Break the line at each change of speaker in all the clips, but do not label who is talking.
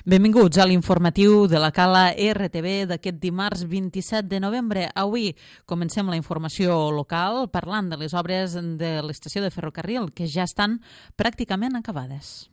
Benvinguts a l'informatiu de la Cala RTV d'aquest dimarts 27 de novembre. Avui comencem la informació local parlant de les obres de l'estació de ferrocarril que ja estan pràcticament acabades.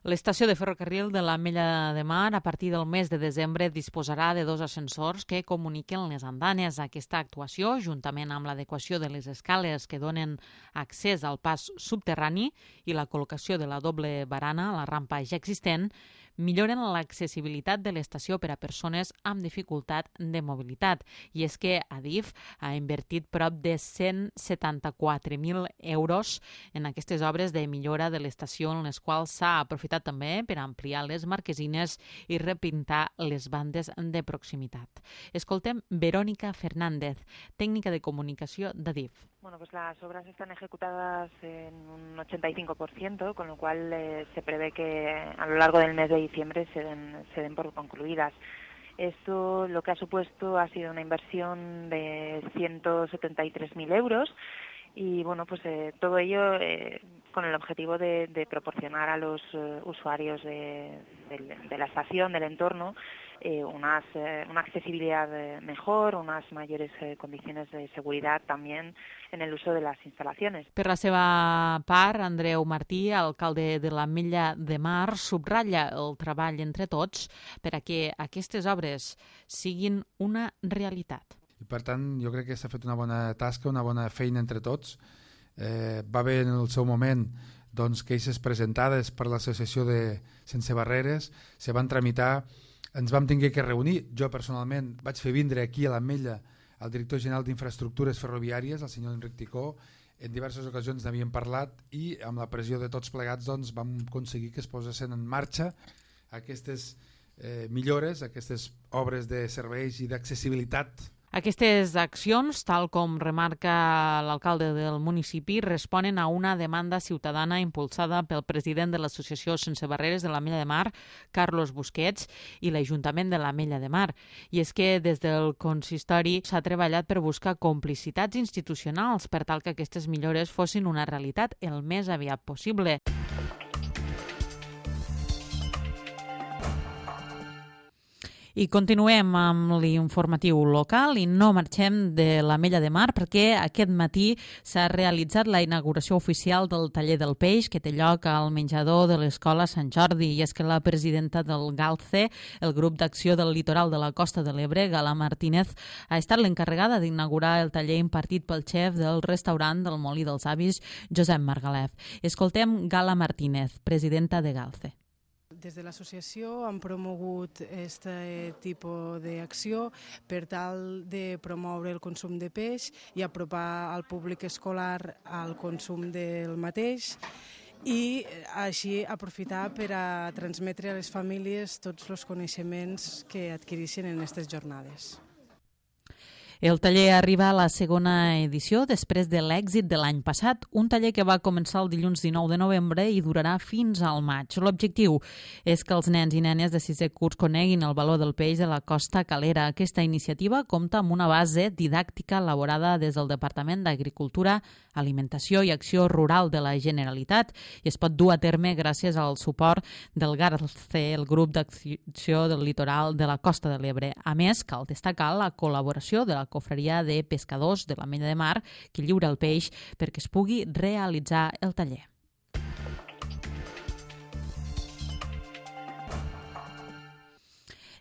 L'estació de ferrocarril de l'Ametlla de Mar a partir del mes de desembre disposarà de 2 ascensors que comuniquen les andanes. Aquesta actuació, juntament amb l'adequació de les escales que donen accés al pas subterrani i la col·locació de la doble barana a la rampa ja existent, milloren l'accessibilitat de l'estació per a persones amb dificultat de mobilitat. I és que Adif ha invertit prop de 174.000 euros en aquestes obres de millora de l'estació, en les quals s'ha aprofitat també per ampliar les marquesines i repintar les bandes de proximitat. Escoltem Verónica Fernández, tècnica de comunicació d'Adif.
Bueno, pues las obras están ejecutadas en un 85%, con lo cual se prevé que a lo largo del mes de diciembre se den por concluidas. Esto lo que ha supuesto ha sido una inversión de 173.000 euros y bueno, pues todo ello con el objetivo de proporcionar a los usuarios de la estación, del entorno, una accesibilidad mejor, unas mayores condiciones de seguridad también en el uso de las instalaciones.
Per la seva part, Andreu Martí, alcalde de l'Ametlla de Mar, subratlla el treball entre tots per a que aquestes obres siguin una realitat.
I per tant, jo crec que s'ha fet una bona tasca, una bona feina entre tots. Va haver en el seu moment queixes presentades per l'associació de Sense Barreres, se van tramitar, ens vam tenir que reunir. Jo personalment vaig fer vindre aquí a l'Ametlla el director general d'Infraestructures Ferroviàries, el senyor Enric Ticó. En diverses ocasions n'havíem parlat i amb la pressió de tots plegats vam aconseguir que es posessin en marxa aquestes millores, aquestes obres de serveis i d'accessibilitat.
Aquestes accions, tal com remarca l'alcalde del municipi, responen a una demanda ciutadana impulsada pel president de l'Associació Sense Barreres de l'Ametlla de Mar, Carlos Busquets, i l'Ajuntament de l'Ametlla de Mar. I és que des del consistori s'ha treballat per buscar complicitats institucionals per tal que aquestes millores fossin una realitat el més aviat possible. I continuem amb l'informatiu local i no marxem de l'Ametlla de Mar perquè aquest matí s'ha realitzat la inauguració oficial del taller del peix que té lloc al menjador de l'Escola Sant Jordi. I és que la presidenta del GALCE, el grup d'acció del litoral de la Costa de l'Ebre, Gala Martínez, ha estat l'encarregada d'inaugurar el taller impartit pel xef del restaurant del Molí dels Avis, Josep Margalef. Escoltem Gala Martínez, presidenta de GALCE.
Des de l'associació hem promogut aquest tipus d'acció per tal de promoure el consum de peix i apropar al públic escolar al consum del mateix i així aprofitar per a transmetre a les famílies tots els coneixements que adquireixen en aquestes jornades.
El taller arriba a la segona edició després de l'èxit de l'any passat, un taller que va començar el dilluns 19 de novembre i durarà fins al maig. L'objectiu és que els nens i nenes de 6è curs coneguin el valor del peix de la costa calera. Aquesta iniciativa compta amb una base didàctica elaborada des del Departament d'Agricultura, Alimentació i Acció Rural de la Generalitat i es pot dur a terme gràcies al suport del GALCE, el grup d'acció del litoral de la Costa de l'Ebre. A més, cal destacar la col·laboració de la Cofreria de Pescadors de l'Ametlla de Mar, que lliura el peix perquè es pugui realitzar el taller.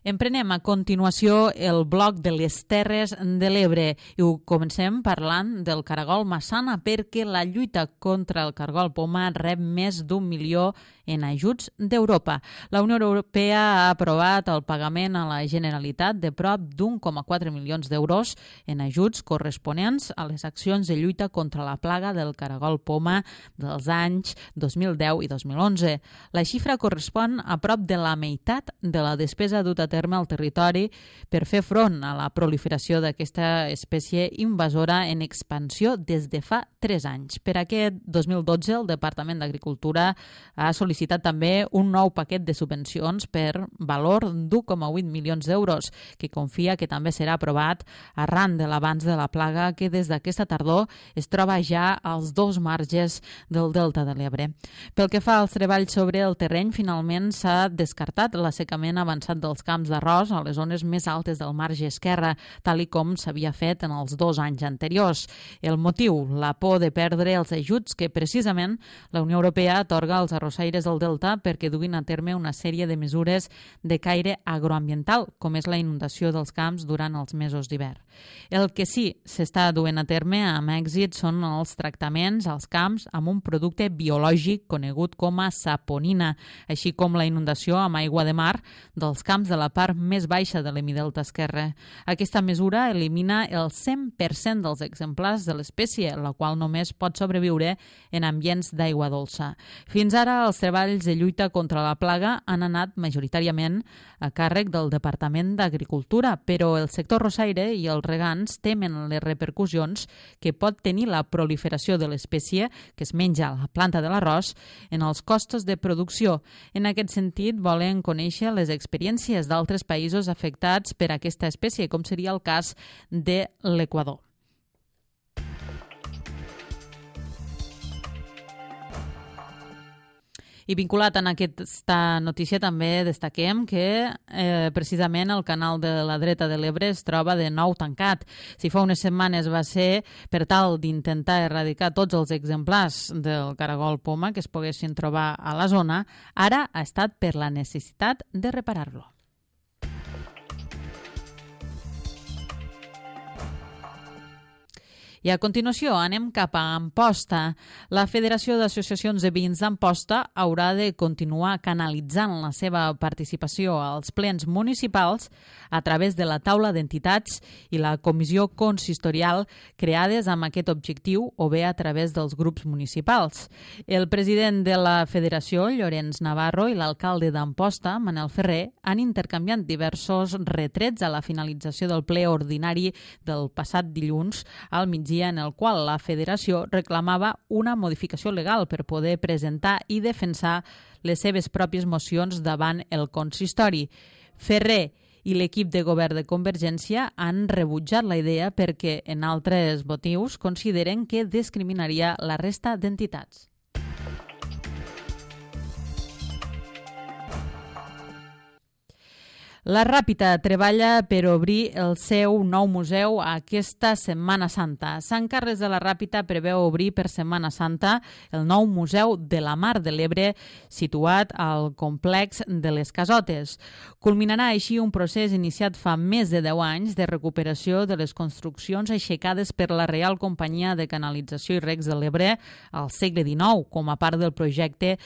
Emprenem a continuació el bloc de les Terres de l'Ebre i ho comencem parlant del caragol massana perquè la lluita contra el caragol poma rep més d'1 milió en ajuts d'Europa. La Unió Europea ha aprovat el pagament a la Generalitat de prop d'1,4 milions d'euros en ajuts corresponents a les accions de lluita contra la plaga del caragol poma dels anys 2010 i 2011. La xifra correspon a prop de la meitat de la despesa duta a terme al territori per fer front a la proliferació d'aquesta espècie invasora en expansió des de fa 3 anys. Per aquest 2012, el Departament d'Agricultura ha sol·licitat també un nou paquet de subvencions per valor d'1,8 milions d'euros, que confia que també serà aprovat arran de l'avanç de la plaga que des d'aquesta tardor es troba ja als 2 marges del Delta de l'Ebre. Pel que fa als treballs sobre el terreny, finalment s'ha descartat l'assecament avançat dels camps d'arròs a les zones més altes del marge esquerre, tal i com s'havia fet en els 2 anys anteriors. El motiu, la por de perdre els ajuts que precisament la Unió Europea atorga als arrossaires del Delta perquè duguin a terme una sèrie de mesures de caire agroambiental, com és la inundació dels camps durant els mesos d'hivern. El que sí s'està duent a terme amb èxit són els tractaments als camps amb un producte biològic conegut com a saponina, així com la inundació amb aigua de mar dels camps de la part més baixa de l'hemidelta esquerre. Aquesta mesura elimina el 100% dels exemplars de l'espècie, la qual només pot sobreviure en ambients d'aigua dolça. Fins ara, els treballs de lluita contra la plaga han anat majoritàriament a càrrec del Departament d'Agricultura, però el sector arrossaire i els regants temen les repercussions que pot tenir la proliferació de l'espècie que es menja a la planta de l'arròs en els costos de producció. En aquest sentit, volen conèixer les experiències d'altres països afectats per aquesta espècie, com seria el cas de l'Equador. I vinculat en aquesta notícia també destaquem que precisament el canal de la dreta de l'Ebre es troba de nou tancat. Si fa unes setmanes va ser per tal d'intentar erradicar tots els exemplars del caragol poma que es poguessin trobar a la zona, ara ha estat per la necessitat de reparar-lo. I a continuació anem cap a Amposta. La Federació d'Associacions de Veïns d'Amposta haurà de continuar canalitzant la seva participació als plens municipals a través de la taula d'entitats i la comissió consistorial creades amb aquest objectiu o bé a través dels grups municipals. El president de la Federació, Llorenç Navarro, i l'alcalde d'Amposta, Manel Ferrer, han intercanviat diversos retrets a la finalització del ple ordinari del passat dilluns al migdia, en el qual la Federació reclamava una modificació legal per poder presentar i defensar les seves pròpies mocions davant el consistori. Ferrer i l'equip de govern de Convergència han rebutjat la idea perquè, en altres motius, consideren que discriminaria la resta d'entitats. La Ràpita treballa per obrir el seu nou museu aquesta Setmana Santa. Sant Carles de la Ràpita preveu obrir per Setmana Santa el nou Museu de la Mar de l'Ebre situat al complex de les Casotes. Culminarà així un procés iniciat fa més de 10 anys de recuperació de les construccions aixecades per la Reial Companyia de Canalització i Regs de l'Ebre al segle XIX com a part del projecte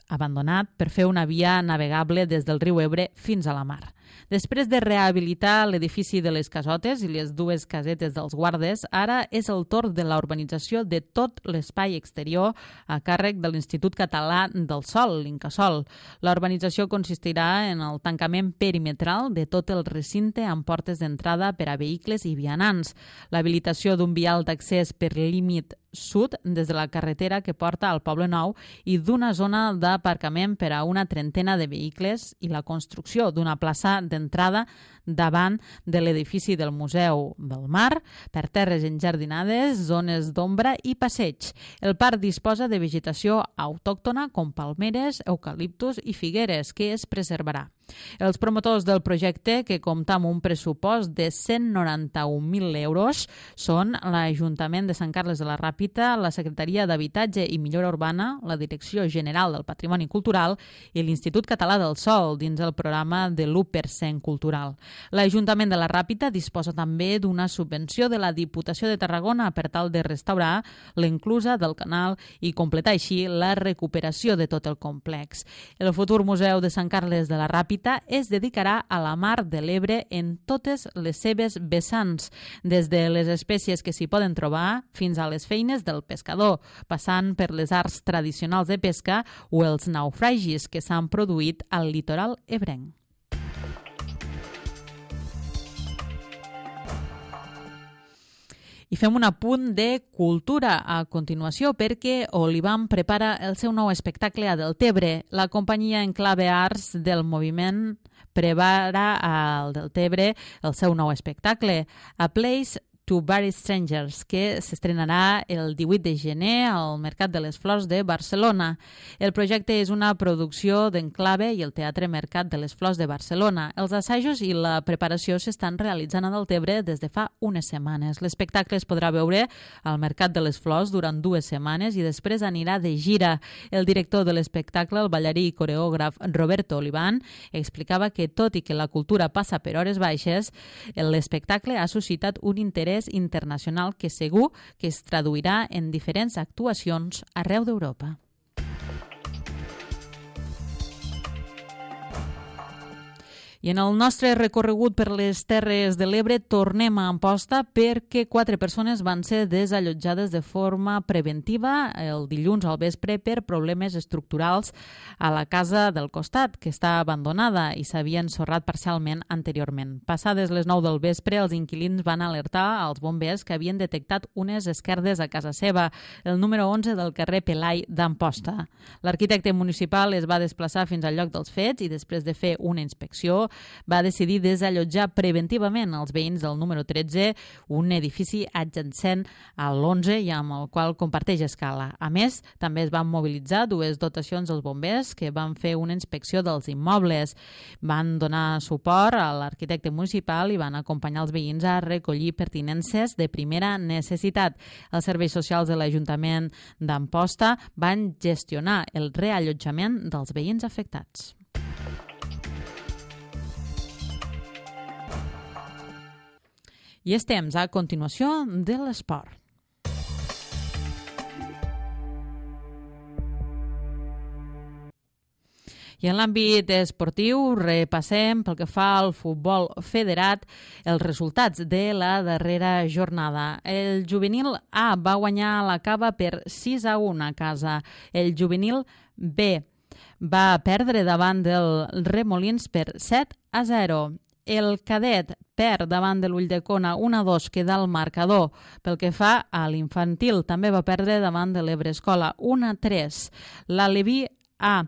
abandonat per fer una via navegable des del riu Ebre fins a la mar. Després de rehabilitar l'edifici de les Casotes i les 2 casetes dels guardes, ara és el torn de la urbanització de tot l'espai exterior a càrrec de l'Institut Català del Sòl, l'Incasòl. La urbanització consistirà en el tancament perimetral de tot el recinte amb portes d'entrada per a vehicles i vianants, l'habilitació d'un vial d'accés per límit sud des de la carretera que porta al Poble Nou i d'una zona d'aparcament per a una trentena de vehicles i la construcció d'una plaça d'entrada davant de l'edifici del Museu del Mar, per terres enjardinades, zones d'ombra i passeig. El parc disposa de vegetació autòctona com palmeres, eucaliptus i figueres, que es preservarà. Els promotors del projecte, que compta amb un pressupost de 191.000 euros, són l'Ajuntament de Sant Carles de la Ràpita, la Secretaria d'Habitatge i Millora Urbana, la Direcció General del Patrimoni Cultural i l'Institut Català del Sòl dins el programa de l'1% cultural. L'Ajuntament de la Ràpita disposa també d'una subvenció de la Diputació de Tarragona per tal de restaurar l'enclusa del canal i completar així la recuperació de tot el complex. El futur Museu de Sant Carles de la Ràpita es dedicarà a la Mar de l'Ebre en totes les seves vessants, des de les espècies que s'hi poden trobar fins a les feines del pescador, passant per les arts tradicionals de pesca o els naufragis que s'han produït al litoral ebrenc. I fem un apunt de cultura a continuació perquè Oliván prepara el seu nou espectacle a Deltebre. La companyia Enclave Arts del moviment prepara al Deltebre el seu nou espectacle, A Place to Bury Strangers, que s'estrenarà el 18 de gener al Mercat de les Flors de Barcelona. El projecte és una producció d'Enclave i el Teatre Mercat de les Flors de Barcelona. Els assajos i la preparació s'estan realitzant a Deltebre des de fa unes setmanes. L'espectacle es podrà veure al Mercat de les Flors durant 2 setmanes i després anirà de gira. El director de l'espectacle, el ballarí i coreògraf Roberto Oliván, explicava que tot i que la cultura passa per hores baixes, l'espectacle ha suscitat un interès internacional que segur que es traduirà en diferents actuacions arreu d'Europa. I en el nostre recorregut per les Terres de l'Ebre tornem a Amposta perquè 4 persones van ser desallotjades de forma preventiva el dilluns al vespre per problemes estructurals a la casa del costat, que està abandonada i s'havia ensorrat parcialment anteriorment. Passades les 9 del vespre, els inquilins van alertar als bombers que havien detectat unes esquerdes a casa seva, el número 11 del carrer Pelai d'Amposta. L'arquitecte municipal es va desplaçar fins al lloc dels fets i després de fer una inspecció va decidir desallotjar preventivament els veïns del número 13, un edifici adjacent a l'11 i amb el qual comparteix escala. A més, també es van mobilitzar 2 dotacions dels bombers que van fer una inspecció dels immobles. Van donar suport a l'arquitecte municipal i van acompanyar els veïns a recollir pertinences de primera necessitat. Els serveis socials de l'Ajuntament d'Amposta van gestionar el reallotjament dels veïns afectats. I és temps, a continuació, de l'esport. I en l'àmbit esportiu repassem pel que fa al futbol federat els resultats de la darrera jornada. El juvenil A va guanyar la Cava per 6-1 a casa. El juvenil B va perdre davant del Remolins per 7-0. El cadet perd davant de l'Ulldecona 1-2, queda el marcador. Pel que fa a l'infantil, també va perdre davant de l'Ebre Escola 1-3. L'Aleví A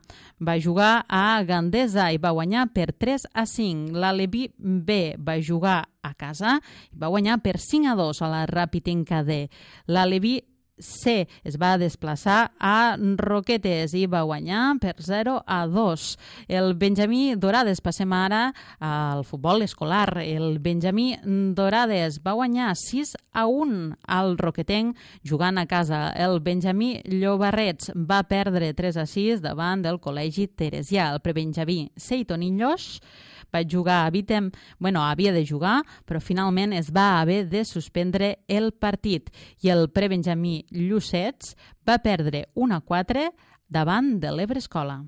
va jugar a Gandesa i va guanyar per 3-5. L'Aleví B va jugar a casa i va guanyar per 5-2 a la Ràpid D. L'Aleví C es va desplaçar a Roquetes i va guanyar per 0-2. El Benjamí Dorades, passem ara al futbol escolar. El Benjamí Dorades va guanyar 6-1 al Roquetenc jugant a casa. El Benjamí Llobarrets va perdre 3-6 davant del Col·legi Teresià. El prebenjamí Seitonillos va jugar havia de jugar, però finalment es va haver de suspendre el partit i el prebenjamí Llucets va perdre 1-4 davant de l'Ebre Escola.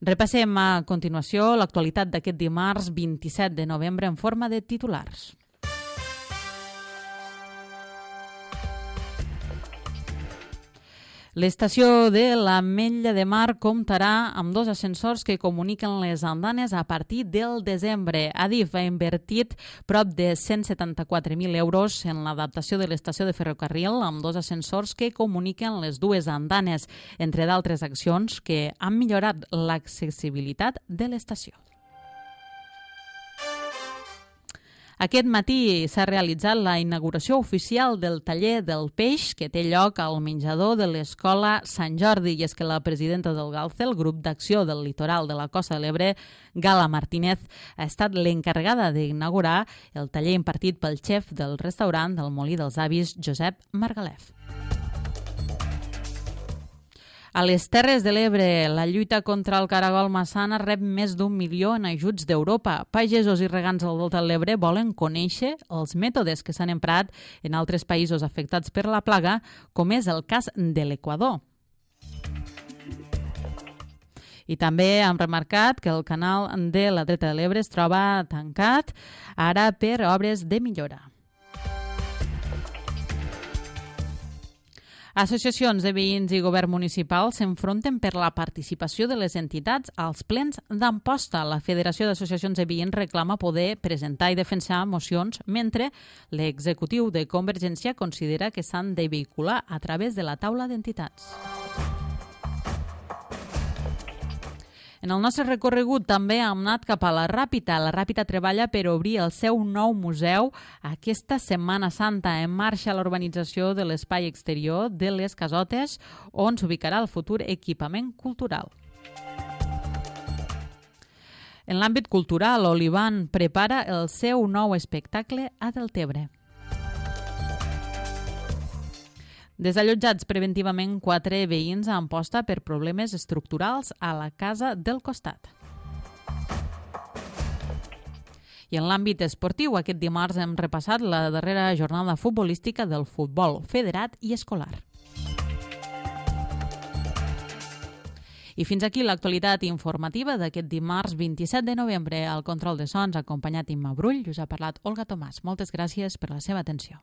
Repassem a continuació l'actualitat d'aquest dimarts 27 de novembre en forma de titulars. L'estació de l'Ametlla de Mar comptarà amb 2 ascensors que comuniquen les andanes a partir del desembre. Adif ha invertit prop de 174.000 euros en l'adaptació de l'estació de ferrocarril amb 2 ascensors que comuniquen les 2 andanes, entre d'altres accions que han millorat l'accessibilitat de l'estació. Aquest matí s'ha realitzat la inauguració oficial del taller del peix que té lloc al menjador de l'Escola Sant Jordi i és que la presidenta del GALCE, el grup d'acció del litoral de la Costa de l'Ebre, Gala Martínez, ha estat l'encarregada d'inaugurar el taller impartit pel xef del restaurant del Molí dels Avis, Josep Margalef. A les Terres de l'Ebre, la lluita contra el caragol massana rep més d'1 milió en ajuts d'Europa. Pagesos i regants del Delta de l'Ebre volen conèixer els mètodes que s'han emprat en altres països afectats per la plaga, com és el cas de l'Equador. I també han remarcat que el canal de la Dreta de l'Ebre es troba tancat ara per obres de millora. Associacions de veïns i govern municipal s'enfronten per la participació de les entitats als plens d'Amposta. La Federació d'Associacions de Veïns reclama poder presentar i defensar mocions, mentre l'executiu de Convergència considera que s'han de vehicular a través de la taula d'entitats. En el nostre recorregut també hem anat cap a la Ràpita. La Ràpita treballa per obrir el seu nou museu aquesta Setmana Santa. En marxa la urbanització de l'espai exterior de les Casotes, on s'ubicarà el futur equipament cultural. En l'àmbit cultural, Olivan prepara el seu nou espectacle a Deltebre. Desallotjats preventivament 4 veïns a Amposta per problemes estructurals a la casa del costat. I en l'àmbit esportiu, aquest dimarts hem repassat la darrera jornada futbolística del futbol federat i escolar. I fins aquí l'actualitat informativa d'aquest dimarts 27 de novembre. Al control de sons, acompanyat Imma Brull, us ha parlat Olga Tomàs. Moltes gràcies per la seva atenció.